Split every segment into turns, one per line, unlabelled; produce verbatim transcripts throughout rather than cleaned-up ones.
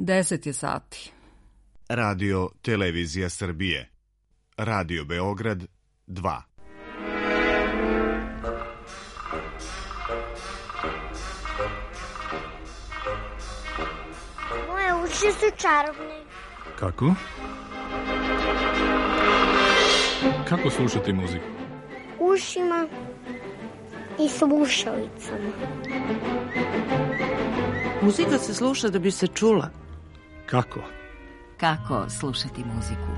Deset je sati.
Radio Televizija Srbije. Radio Beograd dva.
Moje uši su čarobne.
Kako? Kako slušati muziku?
Ušima i slušalicama.
Muzika se sluša da bi se čula.
Kako?
Kako slušati muziku?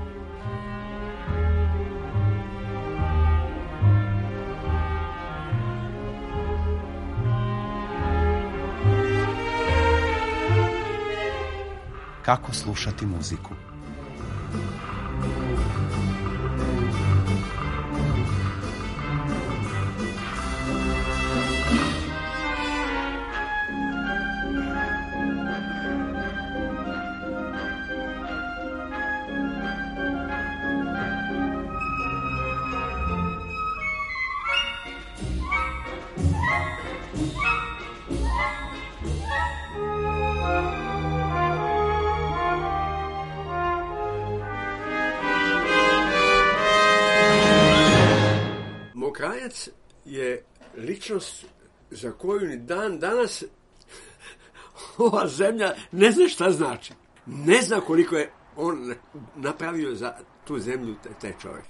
Kako slušati muziku?
Mokrajac je ličnost za koju ni dan danas ova zemlja ne zna šta znači. Ne zna koliko je on napravio za tu zemlju, taj čovjek.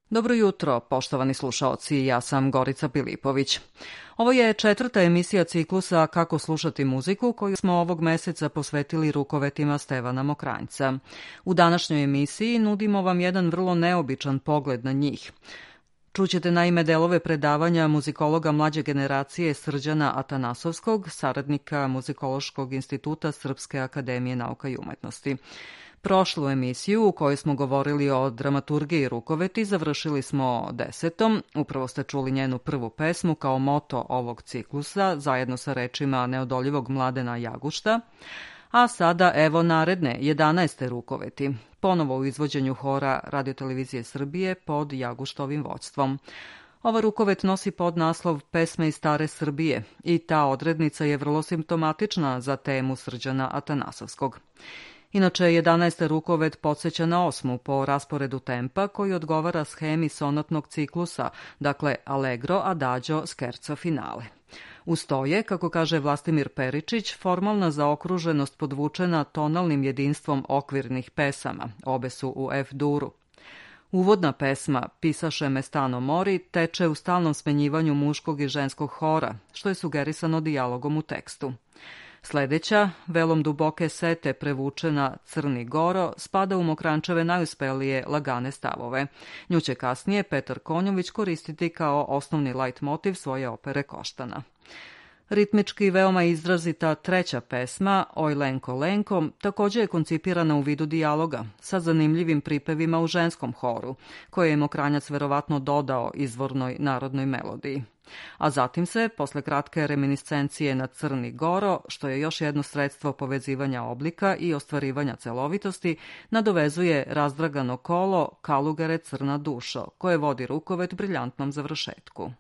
Dobro jutro, poštovani slušaoci, ja sam Gorica Pilipović. Ovo je četvrta emisija ciklusa Kako slušati muziku, koju smo ovog meseca posvetili rukovetima Stevana Mokranjca. U današnjoj emisiji nudimo vam jedan vrlo neobičan pogled na njih. Čućete naime delove predavanja muzikologa mlađe generacije Srđana Atanasovskog, saradnika Muzikološkog instituta Srpske akademije nauka i umetnosti. Prošlu emisiju u kojoj smo govorili o dramaturgiji rukoveti završili smo desetom. Upravo ste čuli njenu prvu pesmu kao moto ovog ciklusa, zajedno sa rečima neodoljivog Mladena Jagušta. A sada evo naredne, jedanaeste rukoveti, ponovo u izvođenju hora Radiotelevizije Srbije pod Jaguštovim vođstvom. Ova rukovet nosi podnaslov Pesme iz stare Srbije i ta odrednica je vrlo simptomatična za temu Srđana Atanasovskog. Inače, jedanaesta rukovet podsjeća na osmu po rasporedu tempa koji odgovara shemi sonatnog ciklusa, dakle allegro, adagio, scherzo, finale. Uz to je, kako kaže Vlastimir Peričić, formalna zaokruženost podvučena tonalnim jedinstvom okvirnih pesama, obe su u F-duru. Uvodna pesma Pisaše me stano mori teče u stalnom smenjivanju muškog i ženskog hora, što je sugerisano dijalogom u tekstu. Sledeća, velom duboke sete prevučena Crni Goro, spada u Mokranjčeve najuspelije lagane stavove. Nju će kasnije Petar Konjović koristiti kao osnovni lajt motiv svoje opere Koštana. Ritmički veoma izrazita treća pesma, Oj Lenko Lenko, također je koncipirana u vidu dijaloga, sa zanimljivim pripevima u ženskom horu, koje je Mokranjac verovatno dodao izvornoj narodnoj melodiji. A zatim se, posle kratke reminiscencije na Crni Goro, što je još jedno sredstvo povezivanja oblika i ostvarivanja celovitosti, nadovezuje razdragano kolo Kalugare Crna dušo, koje vodi rukovet briljantnom završetku.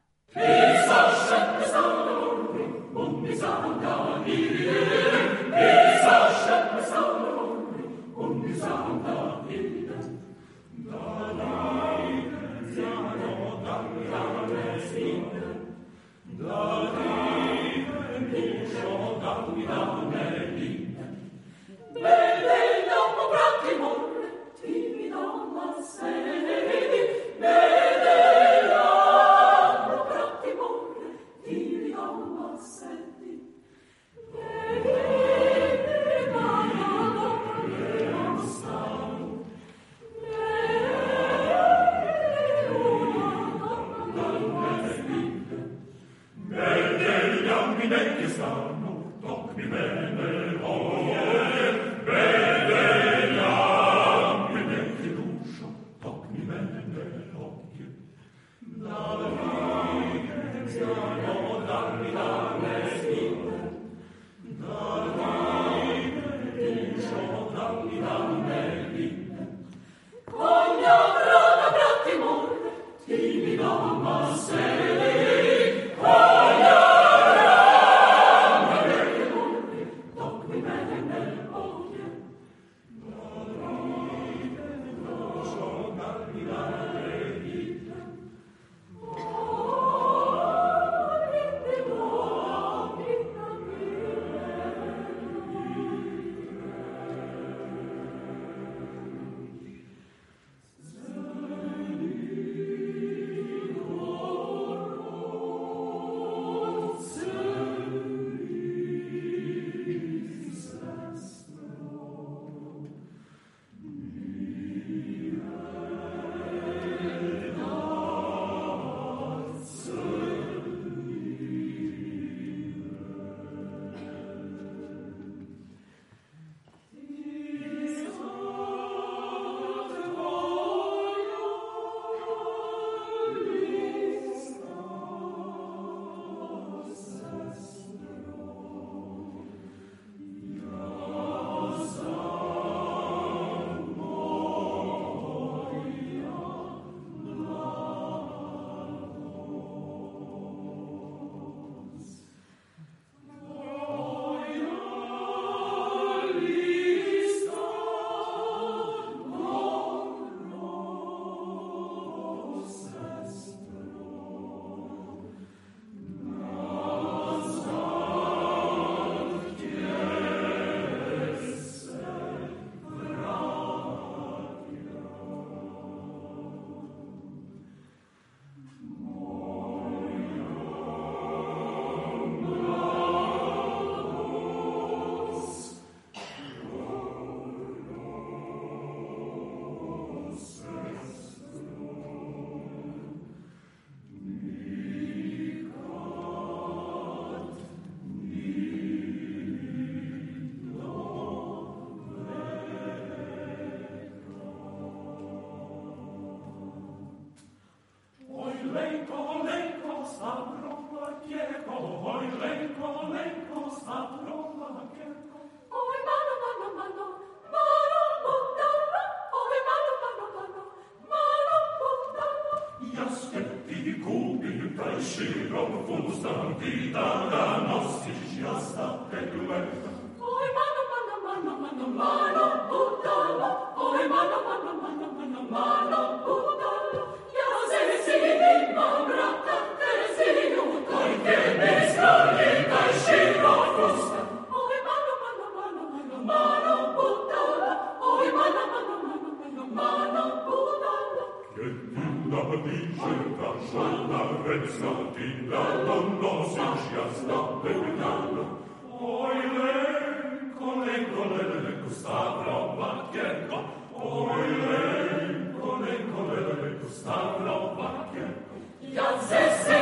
Ja se si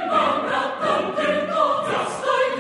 imam, bratom, tylko, ja stoj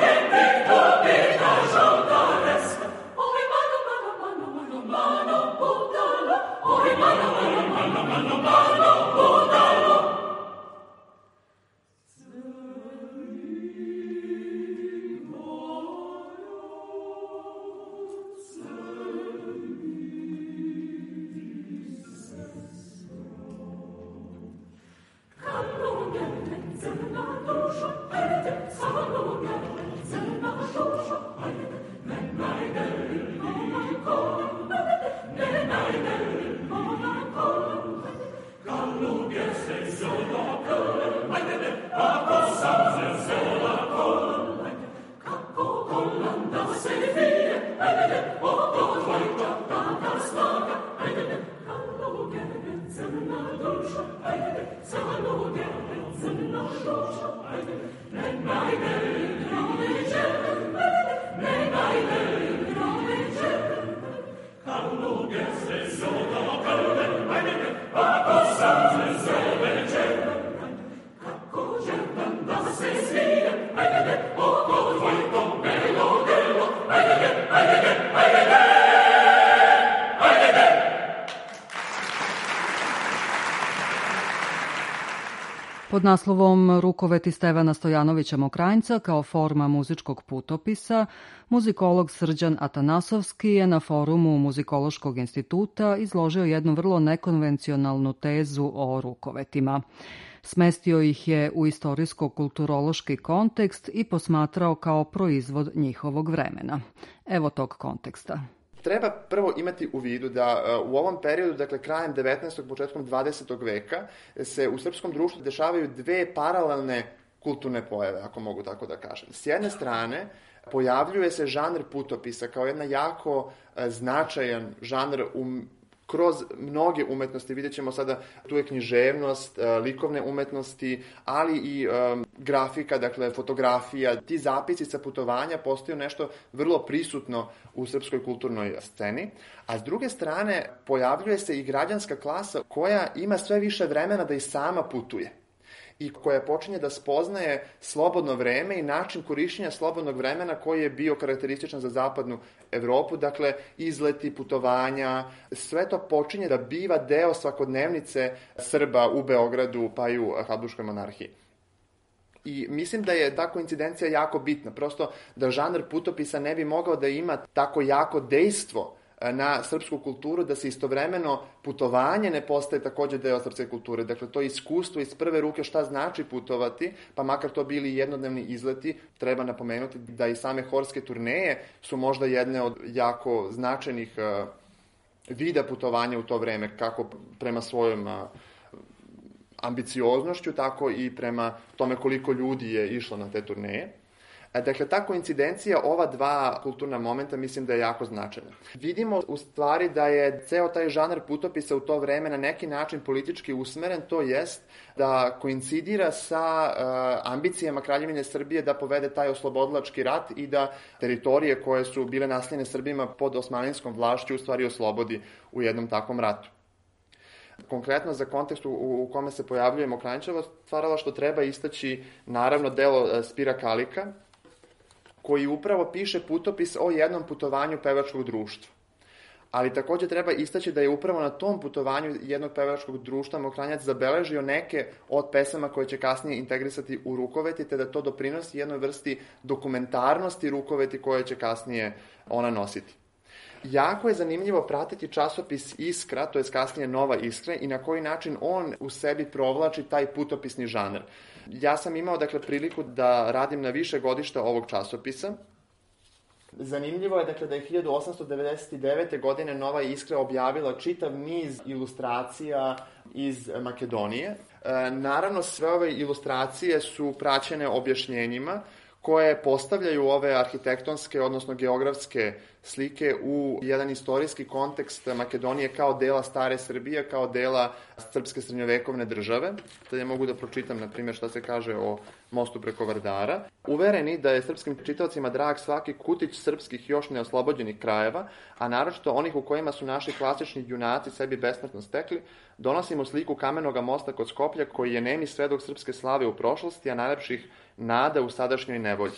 Pod naslovom Rukoveti Stevana Stojanovića Mokranjca kao forma muzičkog putopisa, muzikolog Srđan Atanasovski je na forumu Muzikološkog instituta izložio jednu vrlo nekonvencionalnu tezu o rukovetima. Smestio ih je u istorijsko-kulturološki kontekst i posmatrao kao proizvod njihovog vremena. Evo tog konteksta.
Treba prvo imati u vidu da u ovom periodu, dakle krajem devetnaestog. početkom dvadesetog veka, se u srpskom društvu dešavaju dve paralelne kulturne pojave, ako mogu tako da kažem. S jedne strane, pojavljuje se žanr putopisa kao jedna jako značajan žanr u kroz mnoge umetnosti. Vidjet ćemo sada, tu je književnost, likovne umetnosti, ali i um, grafika, dakle fotografija. Ti zapisi sa putovanja postaju nešto vrlo prisutno u srpskoj kulturnoj sceni. A s druge strane, pojavljuje se i građanska klasa koja ima sve više vremena da i sama putuje i koja počinje da spoznaje slobodno vreme i način korišćenja slobodnog vremena koji je bio karakterističan za zapadnu Evropu, dakle izleti, putovanja, sve to počinje da biva deo svakodnevnice Srba u Beogradu pa i u Habsburškoj monarhiji. I mislim da je ta koincidencija jako bitna, prosto da žanr putopisa ne bi mogao da ima tako jako dejstvo na srpsku kulturu, da se istovremeno putovanje ne postaje takođe deo srpske kulture. Dakle, to iskustvo iz prve ruke šta znači putovati, pa makar to bili jednodnevni izleti, treba napomenuti da i same horske turneje su možda jedne od jako značajnih uh, vida putovanja u to vreme, kako prema svojom uh, ambicioznošću, tako i prema tome koliko ljudi je išlo na te turneje. Dakle, ta koincidencija ova dva kulturna momenta mislim da je jako značajna. Vidimo u stvari da je ceo taj žanr putopisa u to vreme na neki način politički usmeren, to jest da koincidira sa uh, ambicijama Kraljevine Srbije da povede taj oslobodilački rat i da teritorije koje su bile naseljene Srbima pod osmaninskom vlašću u stvari oslobodi u jednom takvom ratu. Konkretno za kontekst u, u kome se pojavljuje Mokranjčevo stvaralaštvo treba istaći naravno delo Spira Kalika, koji upravo piše putopis o jednom putovanju pevačkog društva. Ali takođe treba istaći da je upravo na tom putovanju jednog pevačkog društva Mokranjac zabeležio neke od pesama koje će kasnije integrisati u rukoveti, te da to doprinosi jednoj vrsti dokumentarnosti rukoveti koje će kasnije ona nositi. Jako je zanimljivo pratiti časopis Iskra, to je kasnije Nova Iskra, i na koji način on u sebi provlači taj putopisni žanr. Ja sam imao, dakle, priliku da radim na više godišta ovog časopisa. Zanimljivo je, dakle, da je hiljadu osamsto devedeset devete. godine Nova Iskra objavila čitav niz ilustracija iz Makedonije. E, naravno, sve ove ilustracije su praćene objašnjenjima koje postavljaju ove arhitektonske, odnosno geografske slike u jedan istorijski kontekst Makedonije kao dela stare Srbije, kao dela srpske srednjovekovne države. Sada ja mogu da pročitam, na primjer, šta se kaže o mostu preko Vardara. Uvereni da je srpskim čitaocima drag svaki kutić srpskih još neoslobođenih krajeva, a naročito onih u kojima su naši klasični junaci sebi besmrtno stekli, donosimo sliku kamenog mosta kod Skoplja koji je nemi svedok srpske slave u prošlosti, a najlepših nada u sadašnjoj nevolji.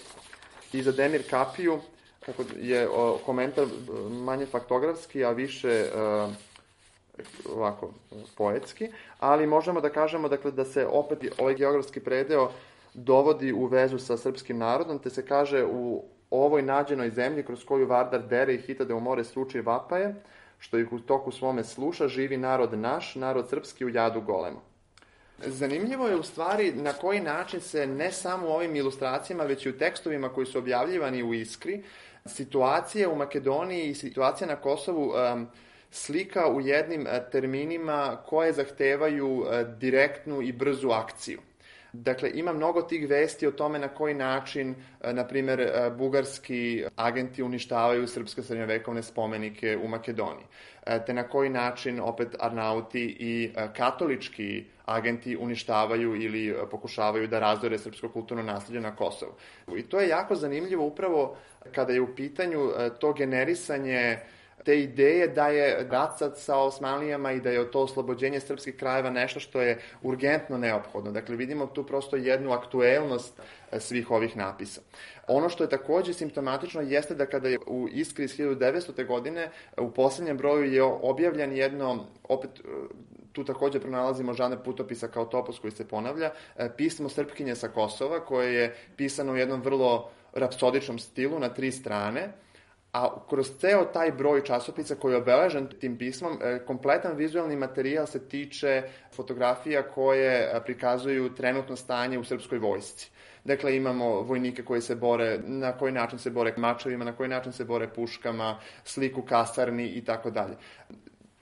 I za Demir Kapiju, kako je o, komentar manje faktografski, a više e, ovako poetski, ali možemo da kažemo dakle, da se opet ovaj geografski predeo dovodi u vezu sa srpskim narodom, te se kaže u ovoj nađenoj zemlji kroz koju Vardar dere i hitade u more suči vapaje, što ih u toku svome sluša, živi narod naš, narod srpski u jadu golemo. Zanimljivo je u stvari na koji način se ne samo u ovim ilustracijama, već i u tekstovima koji su objavljivani u Iskri, situacija u Makedoniji i situacija na Kosovu um, slika u jednim terminima koje zahtevaju direktnu i brzu akciju. Dakle, ima mnogo tih vesti o tome na koji način, na primjer, bugarski agenti uništavaju srpske srednjovekovne spomenike u Makedoniji, te na koji način opet Arnauti i katolički agenti uništavaju ili pokušavaju da razore srpsko kulturno nasleđe na Kosovu. I to je jako zanimljivo upravo kada je u pitanju to generisanje te ideje da je rat sa Osmanlijama i da je to oslobođenje srpskih krajeva nešto što je urgentno neophodno. Dakle, vidimo tu prosto jednu aktuelnost svih ovih napisa. Ono što je takođe simptomatično jeste da kada je u Iskri iz hiljadu devetstote. godine u poslednjem broju je objavljen jedno, opet tu takođe pronalazimo žanr putopisa kao topos koji se ponavlja, pismo Srpkinje sa Kosova, koje je pisano u jednom vrlo rapsodičnom stilu na tri strane, a kroz ceo taj broj časopisa koji je obeležen tim pismom, kompletan vizualni materijal se tiče fotografija koje prikazuju trenutno stanje u srpskoj vojsci. Dakle, imamo vojnike koji se bore, na koji način se bore mačevima, na koji način se bore puškama, sliku kasarni i tako dalje.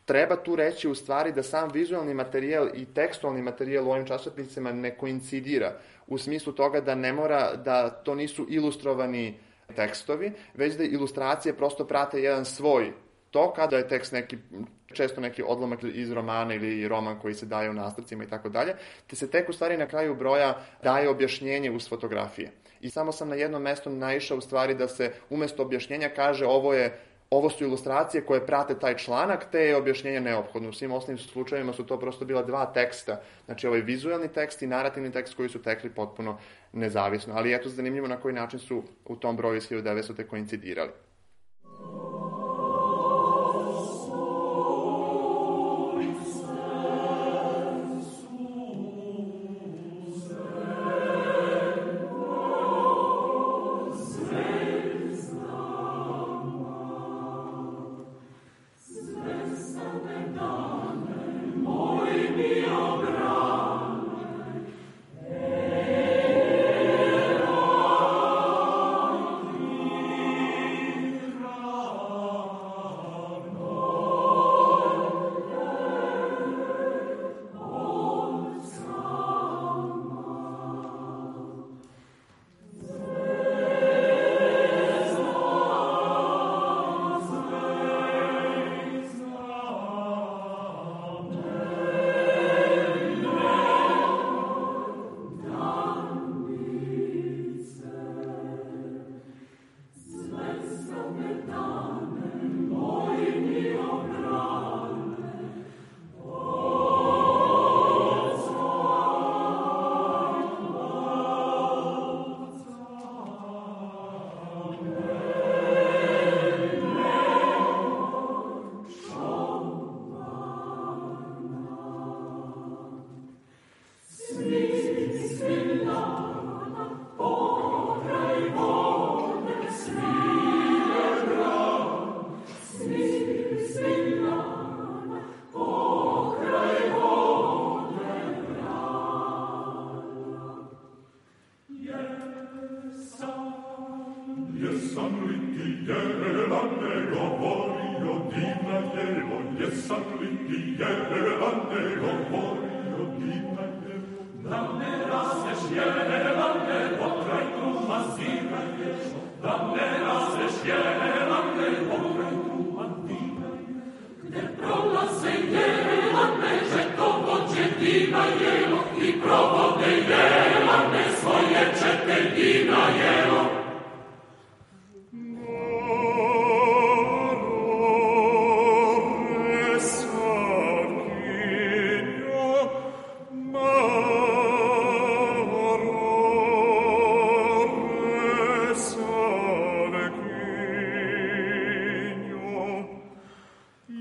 Treba tu reći u stvari da sam vizualni materijal i tekstualni materijal u ovim časopisima ne koincidira, u smislu toga da ne mora, da to nisu ilustrovani tekstovi, već da ilustracije prosto prate jedan svoj tok, kada je tekst neki, često neki odlomak iz romana ili roman koji se daje u nastavcima i tako dalje, te se tek u stvari na kraju broja daje objašnjenje uz fotografije. I samo sam na jednom mestu naišao u stvari da se umesto objašnjenja kaže ovo je Ovo su ilustracije koje prate taj članak, te je objašnjenje neophodno. U svim osnovnim slučajevima su to prosto bila dva teksta. Znači, ovaj vizualni tekst i narativni tekst koji su tekli potpuno nezavisno. Ali eto, zanimljivo na koji način su u tom broju iz hiljadu devetstote. koincidirali.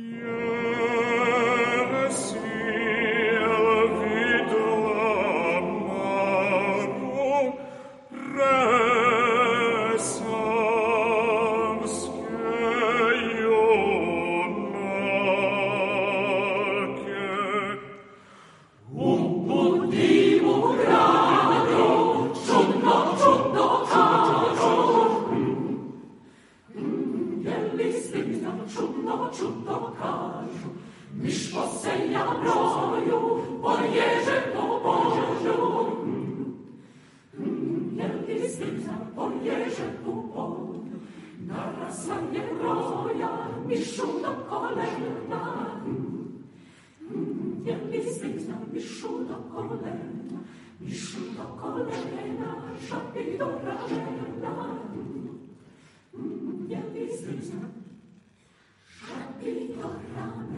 Yeah. čudno, čudno kažu, miš po senja broju, poježe po polju. Jel ti stica poježe po polju, narasla je broja, mišu do kolena. Jel ti stica mišu do kolena, mišu do kolena, šapi do ražena. Jel ti stica šapi do ramena.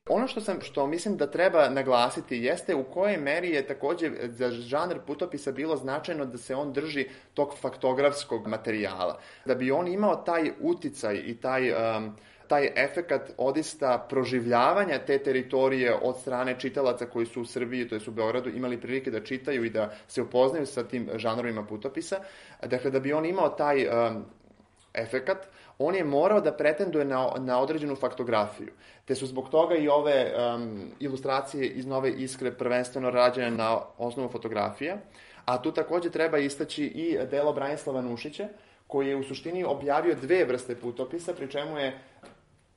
Ono što sam, što mislim da treba naglasiti jeste u kojoj meri je takođe za žanr putopisa bilo značajno da se on drži tog faktografskog materijala. Da bi on imao taj uticaj i taj, um, taj efekat odista proživljavanja te teritorije od strane čitalaca koji su u Srbiji, to jest u Beogradu, imali prilike da čitaju i da se upoznaju sa tim žanrovima putopisa. Dakle, da bi on imao taj um, efekat, on je morao da pretenduje na, na određenu faktografiju. Te su zbog toga i ove um, ilustracije iz Nove Iskre prvenstveno rađene na osnovu fotografija, a tu takođe treba istaći i delo Branislava Nušića, koji je u suštini objavio dve vrste putopisa, pri čemu je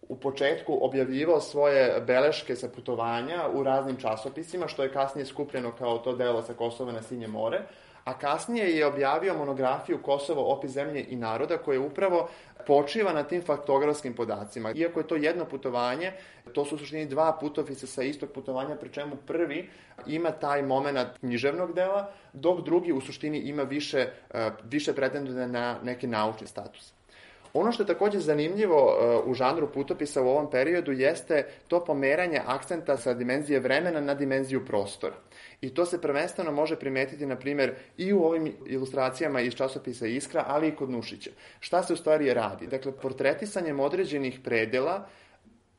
u početku objavljivao svoje beleške sa putovanja u raznim časopisima, što je kasnije skupljeno kao to delo sa Kosova na Sinje more, a kasnije je objavio monografiju Kosovo, opis zemlje i naroda, koja upravo počiva na tim faktografskim podacima. Iako je to jedno putovanje, to su u suštini dva putopisa sa istog putovanja, pri čemu prvi ima taj moment književnog dela, dok drugi u suštini ima više, više pretenduje na neki naučni status. Ono što je takođe zanimljivo u žanru putopisa u ovom periodu jeste to pomeranje akcenta sa dimenzije vremena na dimenziju prostora. I to se prvenstveno može primetiti, na primjer, i u ovim ilustracijama iz časopisa Iskra, ali i kod Nušića. Šta se u stvari radi? Dakle, portretisanjem određenih predela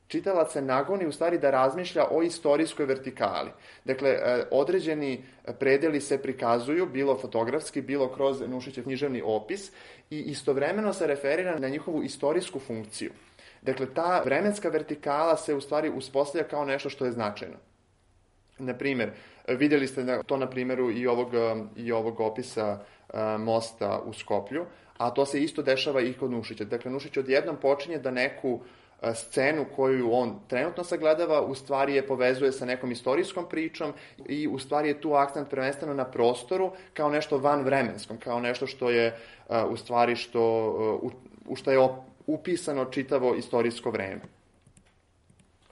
čitalac se nagoni u stvari da razmišlja o istorijskoj vertikali. Dakle, određeni predeli se prikazuju, bilo fotografski, bilo kroz Nušićev književni opis, i istovremeno se referira na njihovu istorijsku funkciju. Dakle, ta vremenska vertikala se u stvari uspostavlja kao nešto što je značajno. Na primjer, vidjeli ste to na primjeru i ovog, i ovog opisa mosta u Skoplju, a to se isto dešava i kod Nušića. Dakle, Nušić odjednom počinje da neku scenu koju on trenutno sagledava, u stvari je povezuje sa nekom istorijskom pričom i u stvari je tu akcent prvenstveno na prostoru kao nešto vanvremenskom, kao nešto što je u stvari što, u, u što je upisano čitavo istorijsko vreme.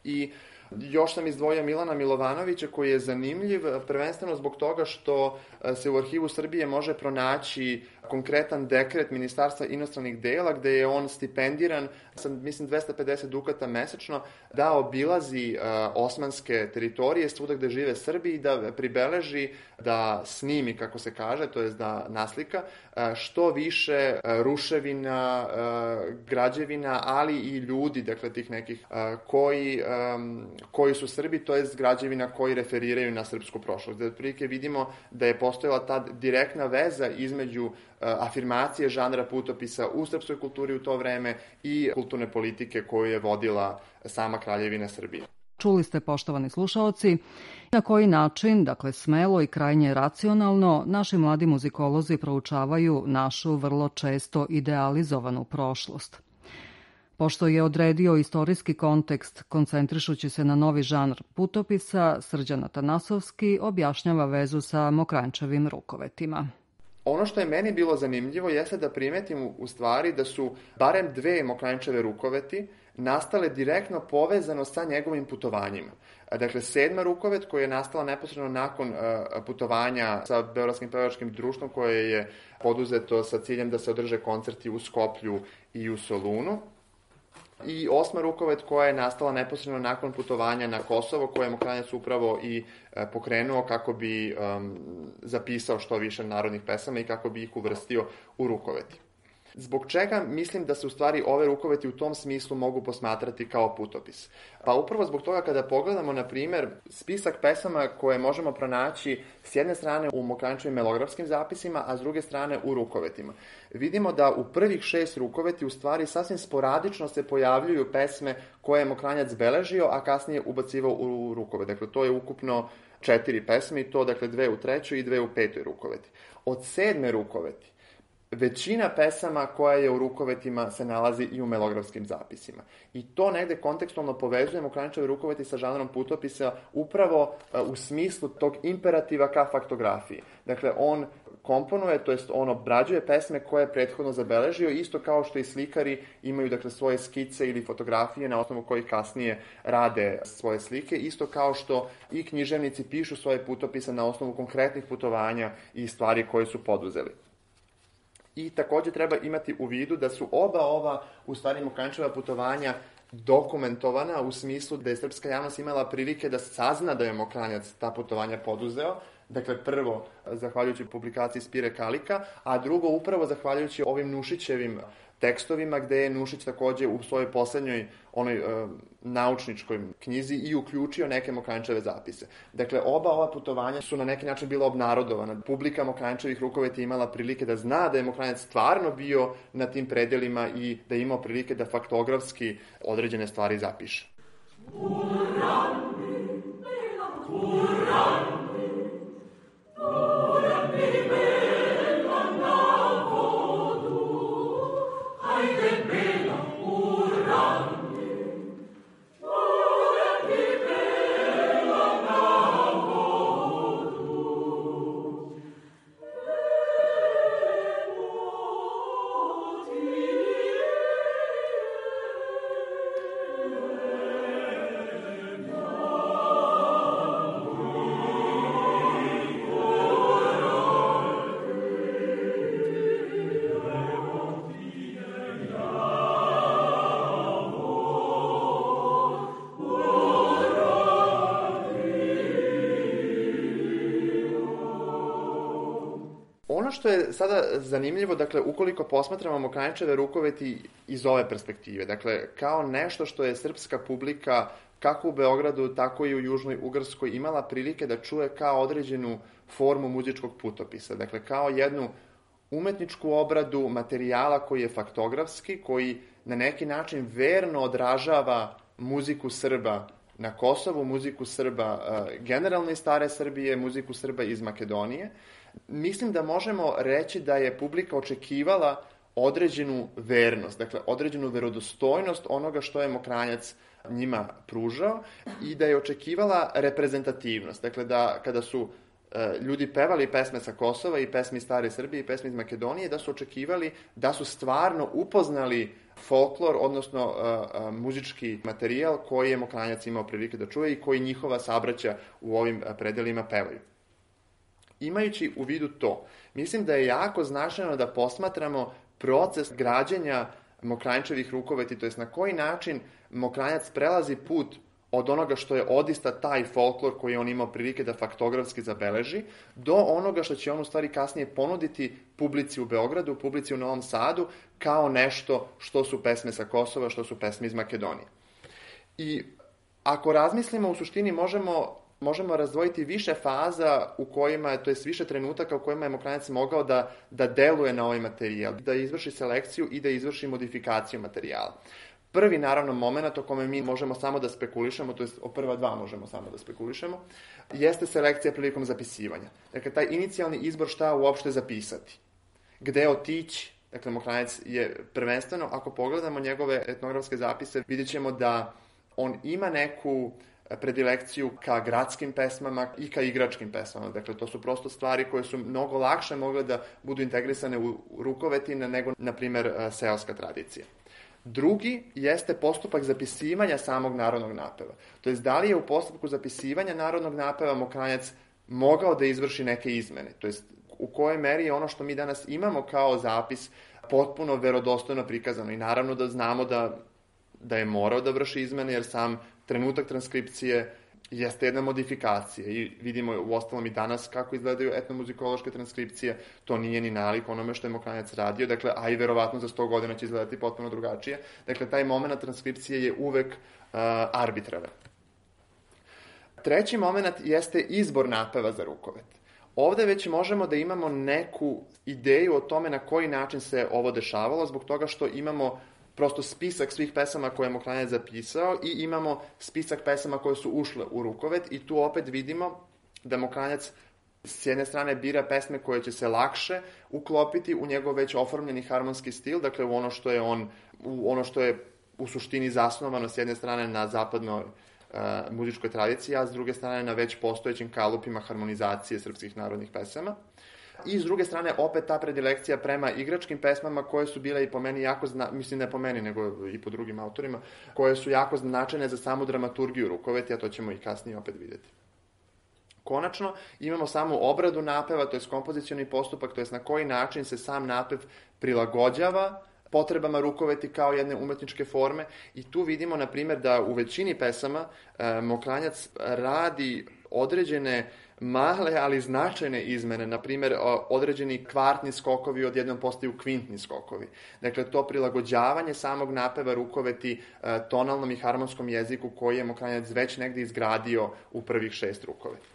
I još sam izdvojio Milana Milovanovića, koji je zanimljiv prvenstveno zbog toga što se u Arhivu Srbije može pronaći konkretan dekret Ministarstva inostranih dela, gde je on stipendiran sa, mislim, dvesta pedeset dukata mesečno, da obilazi uh, osmanske teritorije, svuda gde žive Srbi, i da pribeleži, da snimi, kako se kaže, to jest da naslika, uh, što više uh, ruševina, uh, građevina, ali i ljudi, dakle, tih nekih uh, koji, um, koji su Srbi, to jest građevina koji referiraju na srpsku prošlost. Da otprilike vidimo da je postojala ta direktna veza između afirmacije žanra putopisa u srpskoj kulturi u to vreme i kulturne politike koju je vodila sama Kraljevina Srbije.
Čuli ste, poštovani slušaoci, na koji način, dakle smelo i krajnje racionalno, naši mladi muzikolozi proučavaju našu vrlo često idealizovanu prošlost. Pošto je odredio istorijski kontekst, koncentrišući se na novi žanr putopisa, Srđan Atanasovski objašnjava vezu sa Mokranjčevim rukovetima.
Ono što je meni bilo zanimljivo jeste da primetim u stvari da su barem dve Mokranjčeve rukoveti nastale direktno povezano sa njegovim putovanjima. Dakle, sedma rukovet koja je nastala neposredno nakon putovanja sa Beogradskim pevačkim društvom, koje je poduzeto sa ciljem da se održe koncerti u Skoplju i u Solunu. I osma rukovet koja je nastala neposredno nakon putovanja na Kosovo, koje je Mokranjac upravo i e, pokrenuo kako bi um, zapisao što više narodnih pesama i kako bi ih uvrstio u rukoveti. Zbog čega mislim da se u stvari ove rukoveti u tom smislu mogu posmatrati kao putopis? Pa upravo zbog toga kada pogledamo, na primer, spisak pesama koje možemo pronaći s jedne strane u Mokranjčevim melografskim zapisima, a s druge strane u rukovetima. Vidimo da u prvih šest rukoveti u stvari sasvim sporadično se pojavljuju pesme koje je Mokranjac beležio, a kasnije ubacivao u rukovet. Dakle, to je ukupno četiri pesme i to, dakle, dve u trećoj i dve u petoj rukoveti. Od sedme rukoveti većina pesama koja je u rukovetima se nalazi i u melografskim zapisima. I to negde kontekstualno povezuje Mokranjčeve rukoveti sa žanrom putopisa upravo u smislu tog imperativa ka faktografiji. Dakle, on komponuje, to jest on obrađuje pesme koje je prethodno zabeležio, isto kao što i slikari imaju dakle, svoje skice ili fotografije na osnovu kojih kasnije rade svoje slike, isto kao što i književnici pišu svoje putopise na osnovu konkretnih putovanja i stvari koje su poduzeli. I takođe treba imati u vidu da su oba ova, u stvari, Mokranjčeva putovanja dokumentovana u smislu da je srpska javnost imala prilike da sazna da je Mokranjac ta putovanja poduzeo. Dakle, prvo, zahvaljujući publikaciji Spire Kalika, a drugo, upravo zahvaljujući ovim Nušićevim tekstovima, gde je Nušić takođe u svojoj poslednjoj onoj e, naučničkoj knjizi i uključio neke Mokranjčeve zapise. Dakle, oba ova putovanja su na neki način bila obnarodovana. Publika Mokranjčevih rukoveti imala prilike da zna da je Mokranjac stvarno bio na tim predelima i da je imao prilike da faktografski određene stvari zapiše. Ono što je sada zanimljivo, dakle, ukoliko posmatramo Mokranjčeve rukoveti iz ove perspektive, dakle, kao nešto što je srpska publika, kako u Beogradu, tako i u Južnoj Ugarskoj, imala prilike da čuje kao određenu formu muzičkog putopisa, dakle, kao jednu umetničku obradu materijala koji je faktografski, koji na neki način verno odražava muziku Srba na Kosovu, muziku Srba generalno iz stare Srbije, muziku Srba iz Makedonije. Mislim da možemo reći da je publika očekivala određenu vernost, dakle određenu verodostojnost onoga što je Mokranjac njima pružao i da je očekivala reprezentativnost, dakle da kada su e, ljudi pevali pesme sa Kosova i pesme iz stare Srbije i pesme iz Makedonije, da su očekivali da su stvarno upoznali folklor, odnosno e, e, muzički materijal koji je Mokranjac imao prilike da čuje i koji njihova sabraća u ovim predelima pevaju. Imajući u vidu to, mislim da je jako značajno da posmatramo proces građenja Mokranjčevih rukoveti, to jest na koji način Mokranjac prelazi put od onoga što je odista taj folklor koji je on imao prilike da faktografski zabeleži, do onoga što će on u stvari kasnije ponuditi publici u Beogradu, publici u Novom Sadu, kao nešto što su pesme sa Kosova, što su pesme iz Makedonije. I ako razmislimo, u suštini možemo možemo razdvojiti više faza u kojima, to je više trenutaka u kojima je Mokranjac mogao da, da deluje na ovaj materijal, da izvrši selekciju i da izvrši modifikaciju materijala. Prvi, naravno, moment o kome mi možemo samo da spekulišemo, to je o prva dva možemo samo da spekulišemo, jeste selekcija prilikom zapisivanja. Dakle, taj inicijalni izbor šta uopšte zapisati. Gde otići? Dakle, Mokranjac je prvenstveno, ako pogledamo njegove etnografske zapise, vidjet ćemo da on ima neku predilekciju ka gradskim pesmama i ka igračkim pesmama. Dakle, to su prosto stvari koje su mnogo lakše mogle da budu integrisane u rukovetine nego, na primer, seoska tradicija. Drugi jeste postupak zapisivanja samog narodnog napeva. To je da li je u postupku zapisivanja narodnog napeva Mokranjac mogao da izvrši neke izmene. To je u kojoj meri je ono što mi danas imamo kao zapis potpuno verodostojno prikazano. I naravno da znamo da, da je morao da vrši izmene, jer sam trenutak transkripcije jeste jedna modifikacija i vidimo u ostalom i danas kako izgledaju etnomuzikološke transkripcije, to nije ni nalik onome što je Mokranjac radio, dakle, a i verovatno za sto godina će izgledati potpuno drugačije. Dakle, taj moment transkripcije je uvek uh, arbitraran. Treći moment jeste izbor napeva za rukovet. Ovde već možemo da imamo neku ideju o tome na koji način se ovo dešavalo, zbog toga što imamo prosto spisak svih pesama koje je Mokranjac zapisao i imamo spisak pesama koje su ušle u rukovet i tu opet vidimo da Mokranjac S jedne strane bira pesme koje će se lakše uklopiti u njegov već oformljeni harmonski stil, dakle u ono što je on, u ono što je u suštini zasnovano s jedne strane na zapadnoj uh, muzičkoj tradiciji, a s druge strane na već postojećim kalupima harmonizacije srpskih narodnih pesama. I s druge strane opet ta predilekcija prema igračkim pesmama koje su bile i po meni jako, zna... mislim ne po meni nego i po drugim autorima, koje su jako značajne za samu dramaturgiju rukoveti, a to ćemo i kasnije opet vidjeti. Konačno, imamo samu obradu napeva, to je kompozicioni postupak, to je na koji način se sam napev prilagođava potrebama rukoveti kao jedne umetničke forme i tu vidimo, na primjer, da u većini pesama e, Mokranjac radi određene male, ali značajne izmene, na primjer, određeni kvartni skokovi odjednom postaju kvintni skokovi. Dakle, to prilagođavanje samog napeva rukoveti e, tonalnom i harmonskom jeziku koji je Mokranjac već negdje izgradio u prvih šest rukoveti.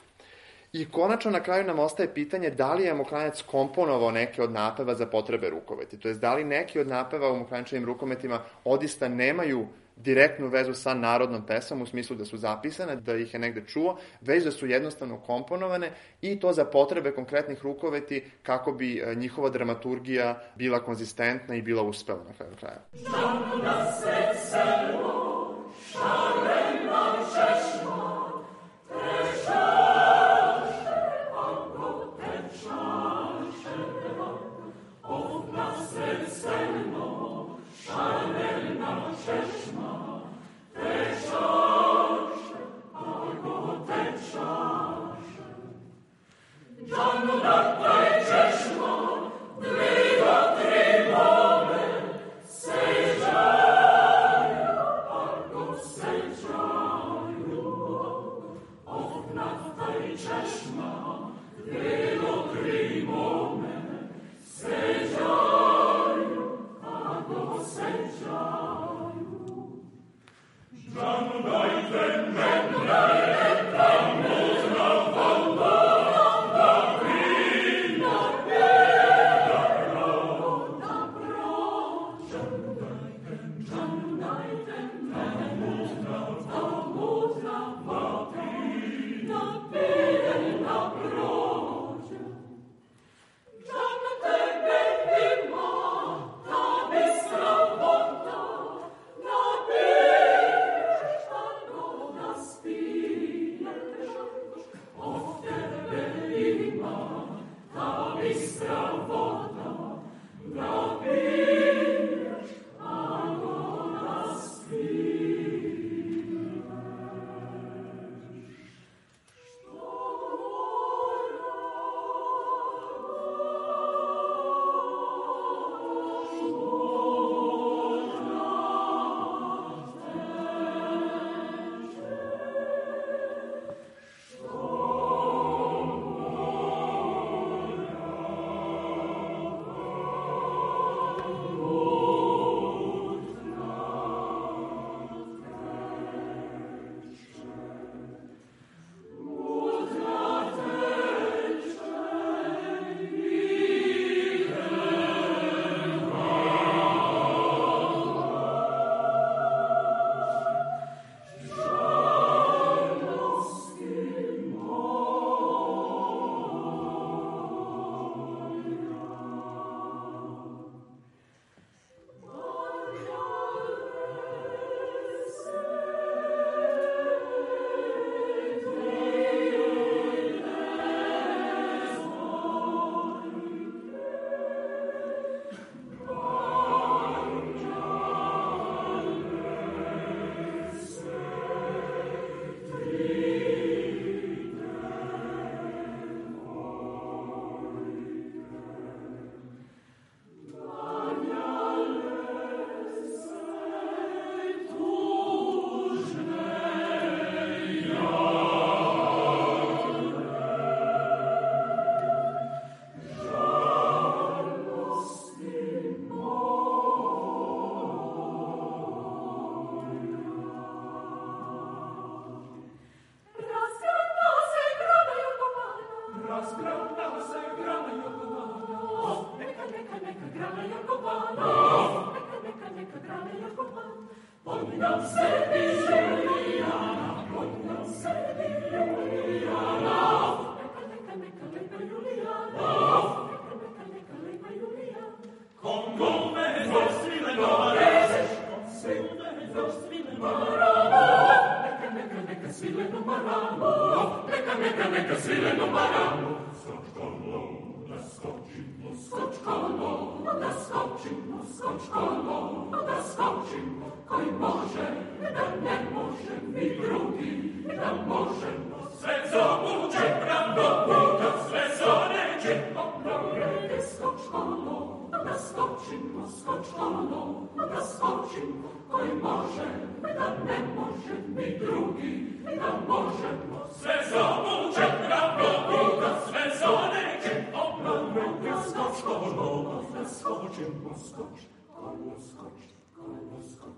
I konačno na kraju nam ostaje pitanje da li je Mokranjac komponovao neke od napeva za potrebe rukoveti. To jest da li neki od napeva u Mokranjačevim rukometima odista nemaju direktnu vezu sa narodnom pesmom u smislu da su zapisane, da ih je negde čuo, već da su jednostavno komponovane i to za potrebe konkretnih rukoveti kako bi njihova dramaturgija bila konzistentna i bila uspela na kraju kraja.
Neka, neka, neka, sileno maramo, neka, neka, neka sileno maramo. Skočkolo, da skočimo, skočkolo, da skočimo, skočkolo, da skočimo, koji može, da ne može ni drugi, da možemo sve zavuče pravdo puta, sve zoneće, obnovljene skočkolo, da skočimo, skočkolo, da skočimo, koji može, da ne može ni drugi, da možemo sve zavuče pravdo puta, sve zoneće, obnovljene skočkolo, da skočimo, skočkolo, skočkolo, skočkolo.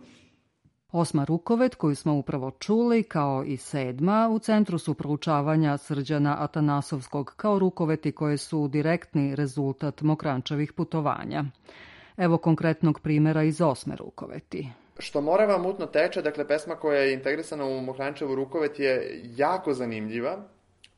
Osma rukovet, koju smo upravo čuli, kao i sedma, u centru su proučavanja Srđana Atanasovskog kao rukoveti koje su direktni rezultat Mokranjčevih putovanja. Evo konkretnog primjera iz osme rukoveti.
Što Morava mutno teče, dakle pesma koja je integrisana u Mokranjčevu rukovet je jako zanimljiva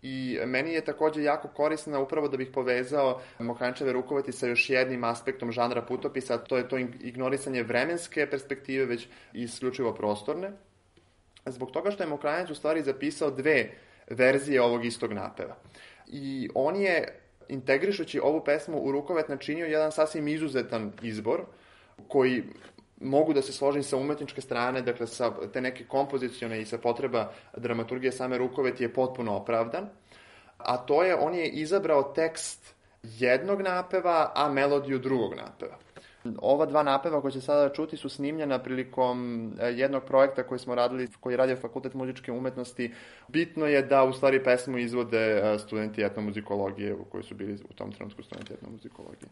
i meni je takođe jako korisna upravo da bih povezao Mokranjčeve rukoveti sa još jednim aspektom žanra putopisa, to je to ignorisanje vremenske perspektive, već isključivo prostorne. Zbog toga što je Mokranjac u stvari zapisao dve verzije ovog istog napeva. I on je, integrišući ovu pesmu u rukovet, načinio jedan sasvim izuzetan izbor, koji mogu da se složim sa umetničke strane, dakle sa te neke kompozicione i sa potreba dramaturgije same rukoveti je potpuno opravdan, a to je, on je izabrao tekst jednog napeva, a melodiju drugog napeva. Ova dva napeva koje će sada čuti su snimljena prilikom jednog projekta koji smo radili, koji je radio Fakultet muzičke umetnosti. Bitno je da u stvari pesmu izvode studenti etnomuzikologije koji su bili u tom trenutku studenti etnomuzikologije.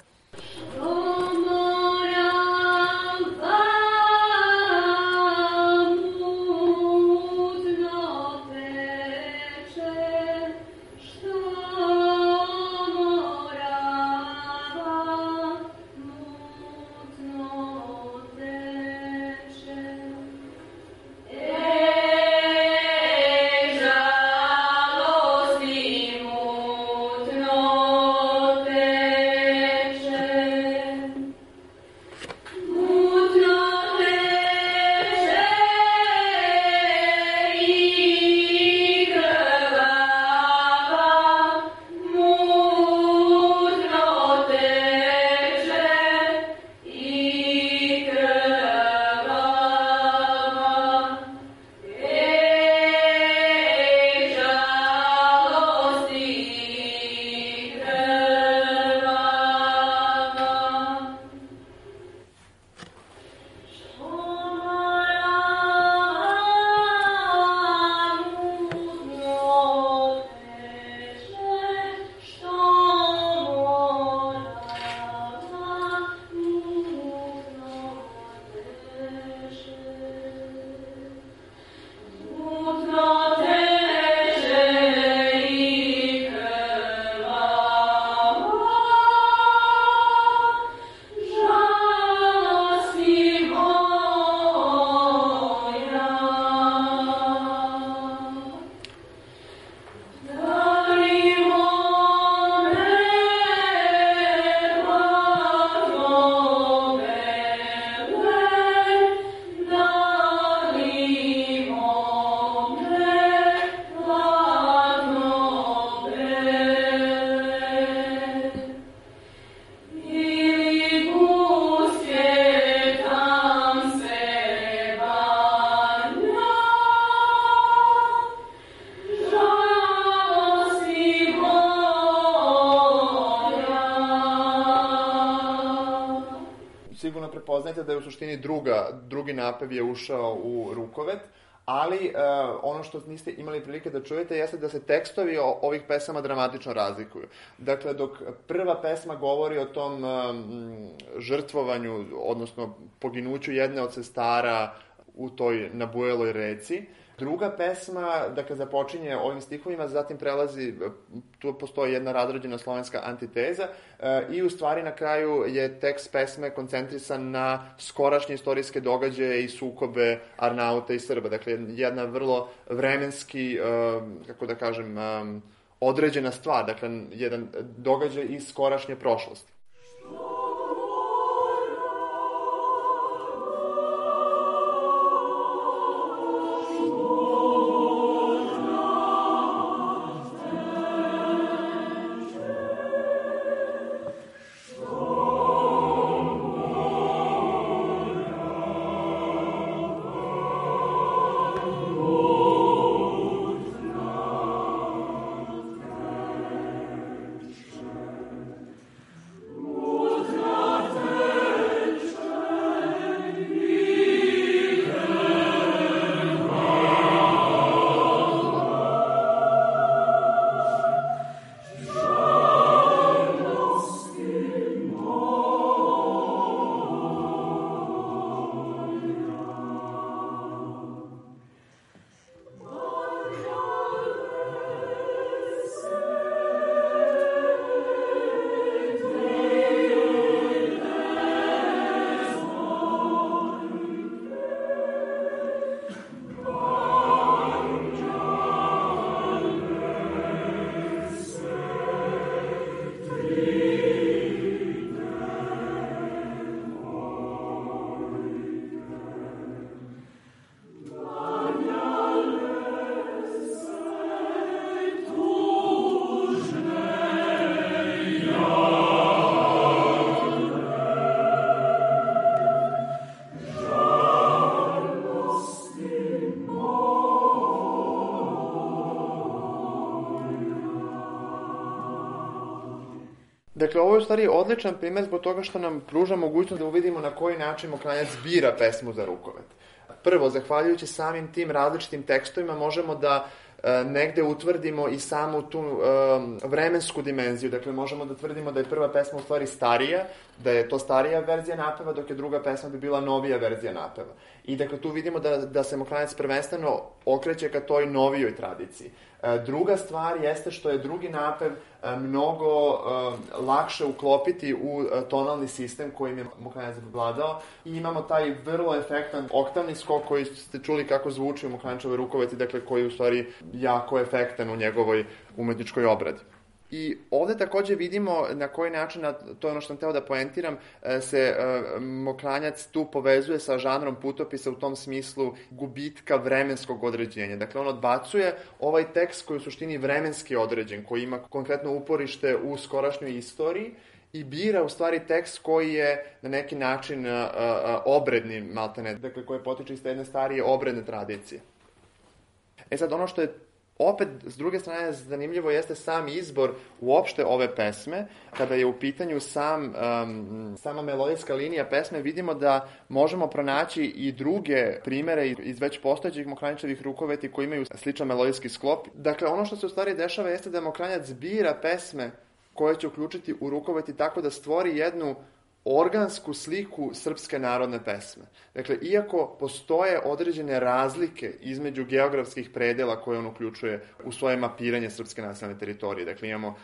Prepoznajte da je u suštini druga, drugi napev je ušao u rukovet, ali uh, ono što niste imali prilike da čujete jeste da se tekstovi o, ovih pesama dramatično razlikuju. Dakle, dok prva pesma govori o tom um, žrtvovanju, odnosno poginuću jedne od sestara u toj nabujeloj reci, druga pesma, dakle, započinje ovim stihovima, zatim prelazi, tu postoji jedna razrađena slovenska antiteza e, i u stvari na kraju je tekst pesme koncentrisan na skorašnje istorijske događaje i sukobe Arnauta i Srba. Dakle, jedna vrlo vremenski, e, kako da kažem, e, određena stvar, dakle, jedan događaj iz skorašnje prošlosti. Dakle, ovo je u stvari odličan primjer zbog toga što nam pruža mogućnost da uvidimo na koji način Mokranjac bira pesmu za rukovet. Prvo, zahvaljujući samim tim različitim tekstovima, možemo da e, negde utvrdimo i samu tu e, vremensku dimenziju. Dakle, možemo da tvrdimo da je prva pesma u stvari starija, da je to starija verzija napeva, dok je druga pesma bi bila novija verzija napeva. I dakle, tu vidimo da, da se Mokranjac prvenstveno okreće ka toj novijoj tradiciji. E, druga stvar jeste što je drugi napev e, mnogo e, lakše uklopiti u e, tonalni sistem kojim je Mokranjac vladao i imamo taj vrlo efektan oktavni skok koji ste čuli kako zvuči u Mokranjačevoj rukoveti, dakle koji je u stvari jako efektan u njegovoj umetničkoj obradi. I ovde takođe vidimo na koji način, to je ono što sam hteo da poentiram, se Mokranjac tu povezuje sa žanrom putopisa u tom smislu gubitka vremenskog određenja. Dakle, on odbacuje ovaj tekst koji je u suštini vremenski određen, koji ima konkretno uporište u skorašnjoj istoriji i bira u stvari tekst koji je na neki način obredni, maltene, dakle koji potiče iz jedne starije obredne tradicije. E sad, ono što je opet, s druge strane, zanimljivo jeste sam izbor uopšte ove pesme. Kada je u pitanju sam, um, sama melodijska linija pesme, vidimo da možemo pronaći i druge primere iz već postojećih Mokranjačevih rukoveti koji imaju sličan melodijski sklop. Dakle, ono što se u stvari dešava jeste da Mokranjac bira pesme koje će uključiti u rukoveti tako da stvori jednu organsku sliku srpske narodne pesme. Dakle, iako postoje određene razlike između geografskih predela koje on uključuje u svoje mapiranje srpske nacionalne teritorije. Dakle, imamo uh,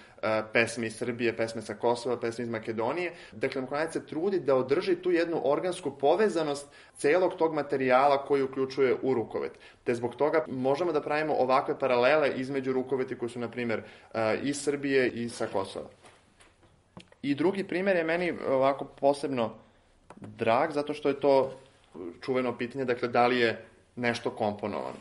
pesme iz Srbije, pesme sa Kosova, pesme iz Makedonije. Dakle, Mokranjac se trudi da održi tu jednu organsku povezanost celog tog materijala koji uključuje u rukovet. Te zbog toga možemo da pravimo ovakve paralele između rukoveti koji su, na primjer, uh, iz Srbije i sa Kosova. I drugi primjer je meni ovako posebno drag, zato što je to čuveno pitanje, dakle, da li je nešto komponovano.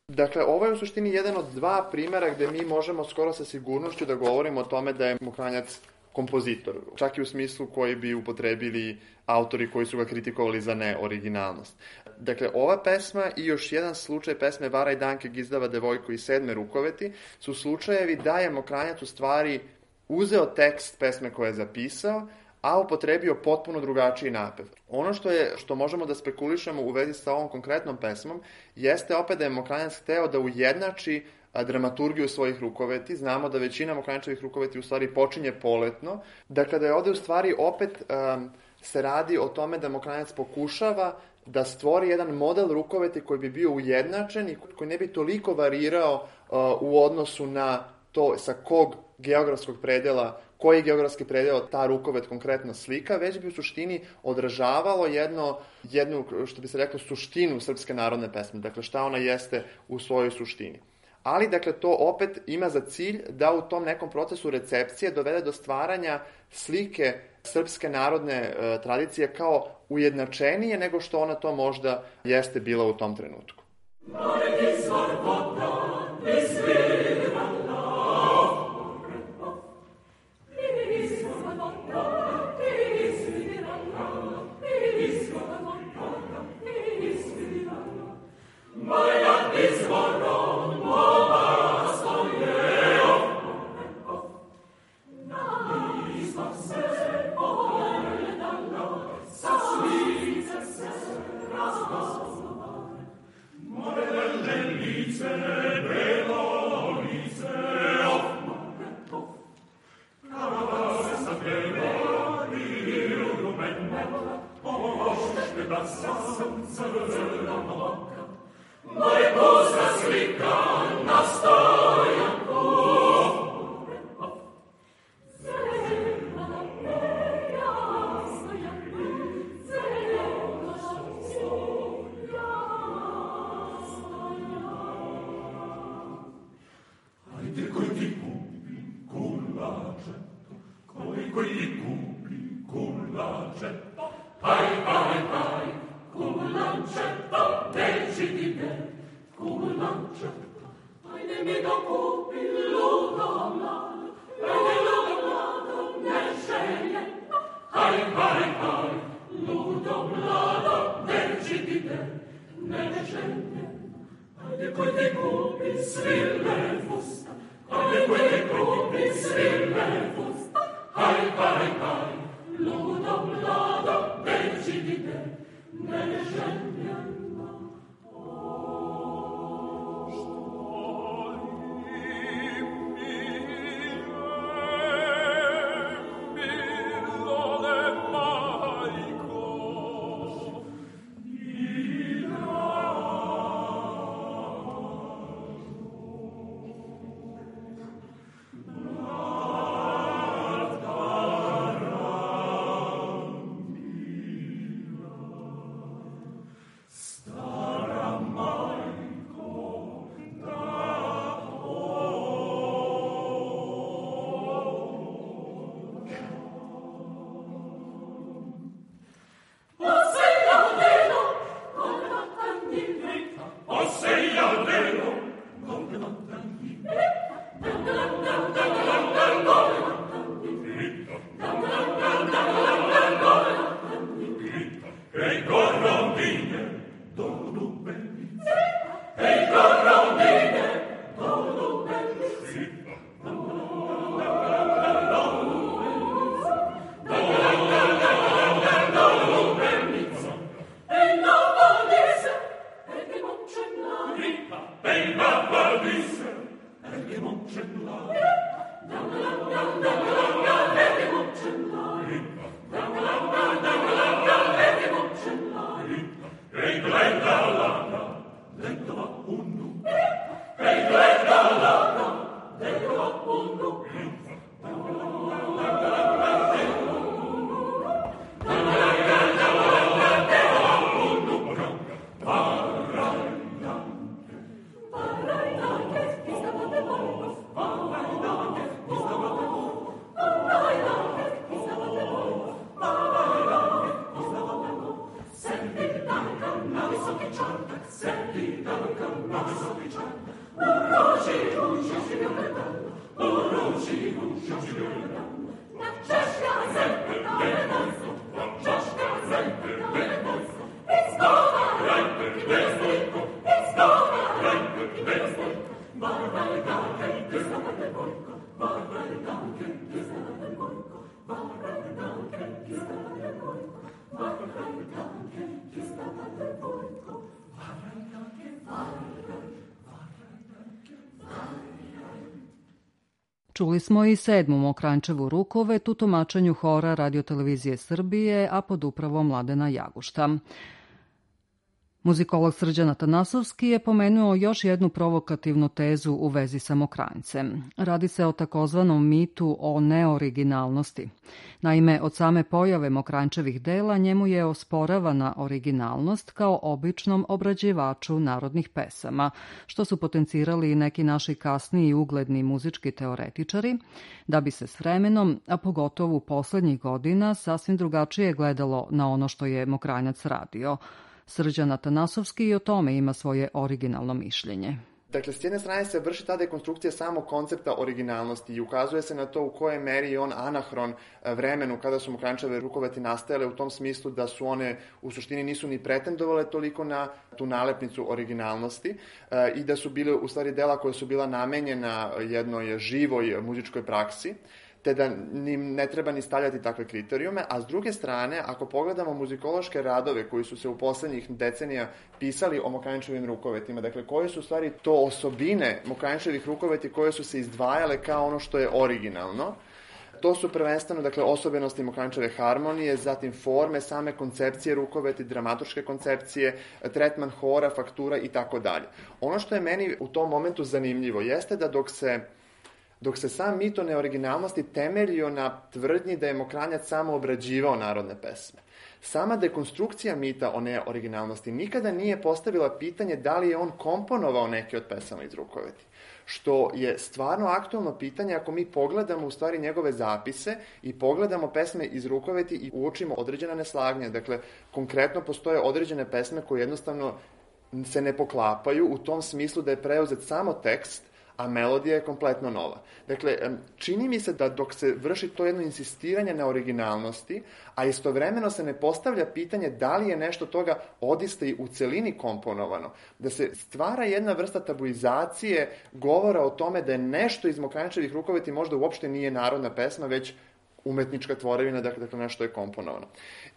Dakle, ovo je u suštini jedan od dva primjera gde mi možemo skoro sa sigurnošću da govorimo o tome da je Mokranjac kompozitor, čak i u smislu koji bi upotrebili autori koji su ga kritikovali za neoriginalnost. Dakle, ova pesma i još jedan slučaj pesme Varaj Danke Gizdava devojko i sedme rukoveti su slučajevi da je Mokranjac u stvari uzeo tekst pesme koje je zapisao, a upotrebio potpuno drugačiji napev. Ono što je što možemo da spekulišemo u vezi sa ovom konkretnom pesmom jeste opet da je Mokranjac hteo da ujednači dramaturgiju svojih rukoveti. Znamo da većina Mokranjačevih rukoveti u stvari počinje poletno. Dakle, da je ovde u stvari opet um, se radi o tome da Mokranjac pokušava da stvori jedan model rukoveti koji bi bio ujednačen i koji ne bi toliko varirao uh, u odnosu na to sa kog geografskog predela, koji geografski predel ta rukovet konkretno slika, već bi u suštini odražavalo jedno, jednu, što bi se reklo, suštinu srpske narodne pesme. Dakle, šta ona jeste u svojoj suštini. ali dakle to opet ima za cilj da u tom nekom procesu recepcije dovede do stvaranja slike srpske narodne e, tradicije kao ujednačenije nego što ona to možda jeste bila u tom trenutku.
Čuli smo i sedmu Mokrančevu rukovet u tumačenju hora Radiotelevizije Srbije, a pod upravom Mladena Jagušta. Muzikolog Srđan Atanasovski je pomenuo još jednu provokativnu tezu u vezi sa Mokranjcem. Radi se o takozvanom mitu o neoriginalnosti. Naime, od same pojave Mokranjčevih dela njemu je osporavana originalnost kao običnom obrađivaču narodnih pesama, što su potencirali i neki naši kasniji i ugledni muzički teoretičari, da bi se s vremenom, a pogotovo u poslednjih godina, sasvim drugačije gledalo na ono što je Mokranjac radio. Srđan Atanasovski i o tome ima svoje originalno mišljenje.
Dakle, s jedne strane se vrši ta dekonstrukcija samog koncepta originalnosti i ukazuje se na to u kojoj meri je on anahron vremenu kada su Mokranjčeve rukoveti nastajale, u tom smislu da su one u suštini nisu ni pretendovale toliko na tu nalepnicu originalnosti i da su bile u stvari dela koja su bila namenjena jednoj živoj muzičkoj praksi, te da im ne treba ni stavljati takve kriterijume, a s druge strane, ako pogledamo muzikološke radove koji su se u poslednjih decenija pisali o Mokranjčevim rukovetima, dakle, koje su u stvari to osobine Mokranjčevih rukoveti koje su se izdvajale kao ono što je originalno, to su prvenstveno, dakle, osobenosti Mokranjčeve harmonije, zatim forme, same koncepcije rukoveti, dramaturške koncepcije, tretman hora, faktura i tako dalje. Ono što je meni u tom momentu zanimljivo jeste da dok se Dok se sam mit o neoriginalnosti temeljio na tvrdnji da je Mokranjac samo obrađivao narodne pesme, sama dekonstrukcija mita o neoriginalnosti nikada nije postavila pitanje da li je on komponovao neke od pesama iz rukoveti. Što je stvarno aktualno pitanje ako mi pogledamo u stvari njegove zapise i pogledamo pesme iz rukoveti i uočimo određena neslaganja. Dakle, konkretno postoje određene pesme koje jednostavno se ne poklapaju u tom smislu da je preuzet samo tekst, a melodija je kompletno nova. Dakle, čini mi se da dok se vrši to jedno insistiranje na originalnosti, a istovremeno se ne postavlja pitanje da li je nešto toga odista i u celini komponovano, da se stvara jedna vrsta tabuizacije govora o tome da je nešto iz Mokranjčevih rukoveti možda uopšte nije narodna pesma, već umetnička tvorevina, dakle nešto je komponovano.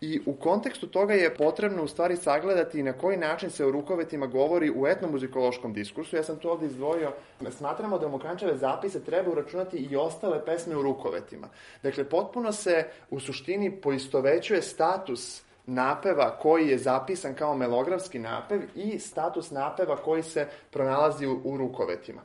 I u kontekstu toga je potrebno u stvari sagledati na koji način se o rukovetima govori u etnomuzikološkom diskursu. Ja sam to ovdje izdvojio. Smatramo da u Mokranjčeve zapise treba uračunati i ostale pesme u rukovetima. Dakle, potpuno se u suštini poistovećuje status napeva koji je zapisan kao melografski napev i status napeva koji se pronalazi u, u rukovetima.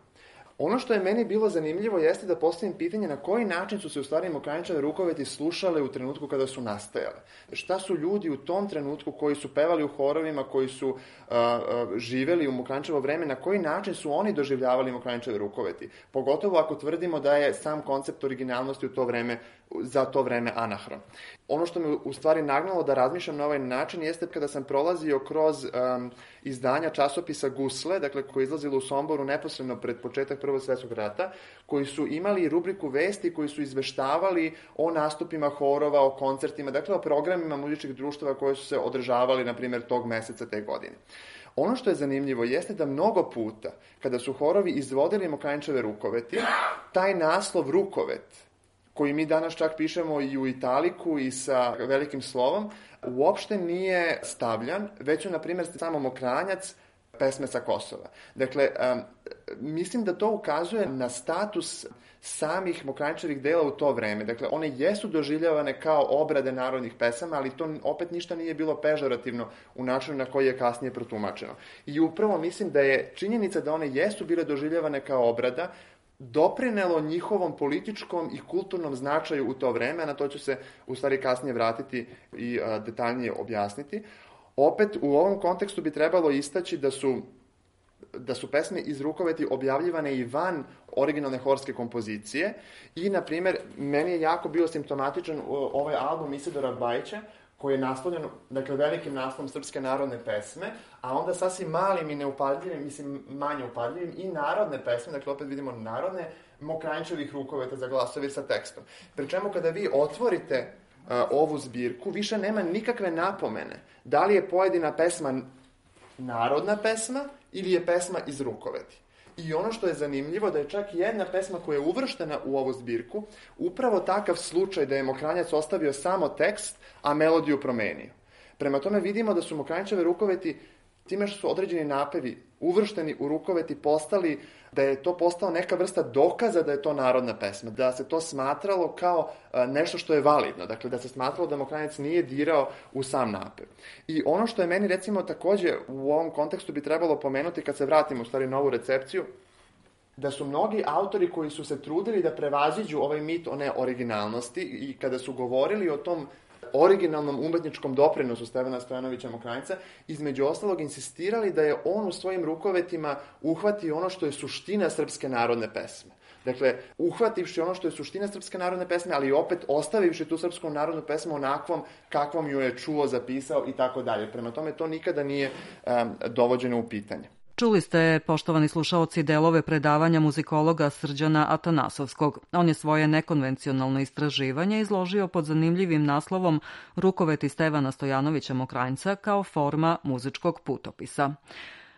Ono što je meni bilo zanimljivo jeste da postavim pitanje na koji način su se u stvari Mokranjčeve rukoveti slušale u trenutku kada su nastajale. Šta su ljudi u tom trenutku koji su pevali u horovima, koji su uh, uh, živeli u Mokranjčevo vreme, na koji način su oni doživljavali Mokranjčeve rukoveti? Pogotovo ako tvrdimo da je sam koncept originalnosti u to vreme, za to vreme anahron. Ono što me u stvari nagnalo da razmišljam na ovaj način jeste kada sam prolazio kroz um, izdanja časopisa Gusle, dakle koji je izlazilo u Somboru neposredno pred početak Prvog svjetskog rata, koji su imali rubriku vesti, koji su izveštavali o nastupima horova, o koncertima, dakle o programima muzičkih društava koje su se održavali, na primjer, tog meseca te godine. Ono što je zanimljivo jeste da mnogo puta, kada su horovi izvodili Mokranjčeve rukoveti, taj naslov rukovet, koji mi danas čak pišemo i u italiku i sa velikim slovom, uopšte nije stavljan, već je, na primjer, samo Mokranjac pesme sa Kosova. Dakle, um, mislim da to ukazuje na status samih Mokranjčevih dela u to vreme. Dakle, one jesu doživljavane kao obrade narodnih pesama, ali to opet ništa nije bilo pežorativno u načinu na koji je kasnije protumačeno. I upravo mislim da je činjenica da one jesu bile doživljavane kao obrada doprinelo njihovom političkom i kulturnom značaju u to vreme, na to ću se u stvari kasnije vratiti i a, detaljnije objasniti. Opet, u ovom kontekstu bi trebalo istaći da su, da su pesme iz rukoveti objavljivane i van originalne horske kompozicije i, na primjer, meni je jako bio simptomatičan ovaj album Isidora Bajića, koji je naslovljen, dakle, velikim naslovom Srpske narodne pesme, a onda sasvim malim i neupadljivim, mislim, manje upadljivim i narodne pesme, dakle, opet vidimo narodne, Mokranjčevih rukoveta za glasovi sa tekstom. Pri čemu kada vi otvorite uh, ovu zbirku, više nema nikakve napomene da li je pojedina pesma narodna pesma ili je pesma iz rukoveti. I ono što je zanimljivo da je čak jedna pesma koja je uvrštena u ovu zbirku upravo takav slučaj da je Mokranjac ostavio samo tekst, a melodiju promenio. Prema tome vidimo da su Mokranjčeve rukoveti time što su određeni napevi uvršteni u rukovet i postali, da je to postao neka vrsta dokaza da je to narodna pesma, da se to smatralo kao nešto što je validno, dakle da se smatralo da Mokranjac nije dirao u sam napev. I ono što je meni recimo takođe u ovom kontekstu bi trebalo pomenuti kad se vratimo u stvari na ovu recepciju, da su mnogi autori koji su se trudili da prevaziđu ovaj mit o neoriginalnosti i kada su govorili o tom originalnom umetničkom doprinosu Stevana Stojanovića Mokranjca, između ostalog insistirali da je on u svojim rukovetima uhvatio ono što je suština srpske narodne pesme. Dakle, uhvativši ono što je suština srpske narodne pesme, ali opet ostavivši tu srpsku narodnu pesmu onakvom kakvom ju je čuo, zapisao i tako dalje. Prema tome, to nikada nije um, dovođeno u pitanje.
Čuli ste, poštovani slušaoci, delove predavanja muzikologa Srđana Atanasovskog. On je svoje nekonvencionalno istraživanje izložio pod zanimljivim naslovom Rukoveti Stevana Stojanovića Mokranjca kao forma muzičkog putopisa.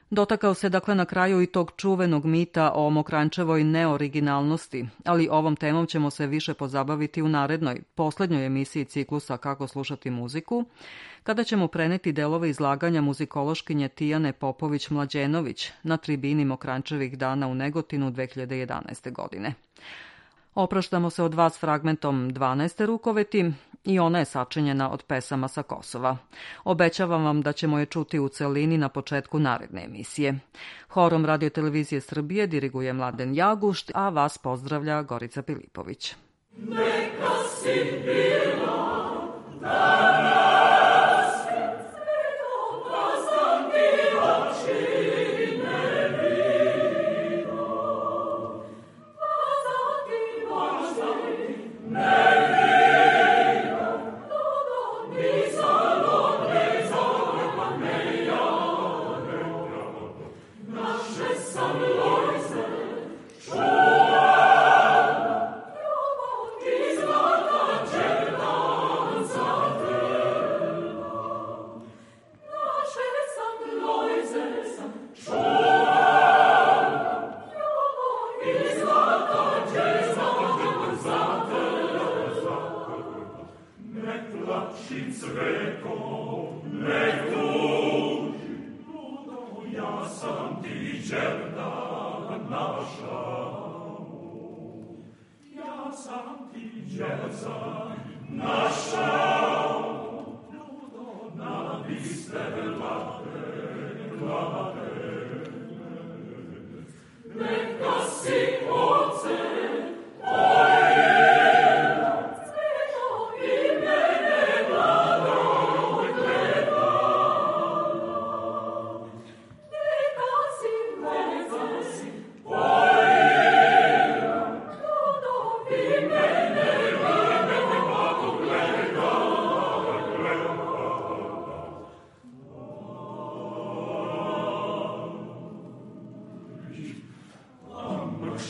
Dotakao se dakle na kraju i tog čuvenog mita o Mokranjčevoj neoriginalnosti, ali ovom temom ćemo se više pozabaviti u narednoj, poslednjoj emisiji ciklusa Kako slušati muziku, kada ćemo preneti delove izlaganja muzikološkinje Tijane Popović-Mlađenović na tribini Mokranjčevih dana u Negotinu dve hiljade jedanaeste. godine. Opraštamo se od vas fragmentom dvanaeste rukoveti i ona je sačinjena od pesama sa Kosova. Obećavam vam da ćemo je čuti u celini na početku naredne emisije. Horom Radio-televizije Srbije diriguje Mladen Jagušt, a vas pozdravlja Gorica Pilipović.
Neka si bila danas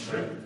Shit.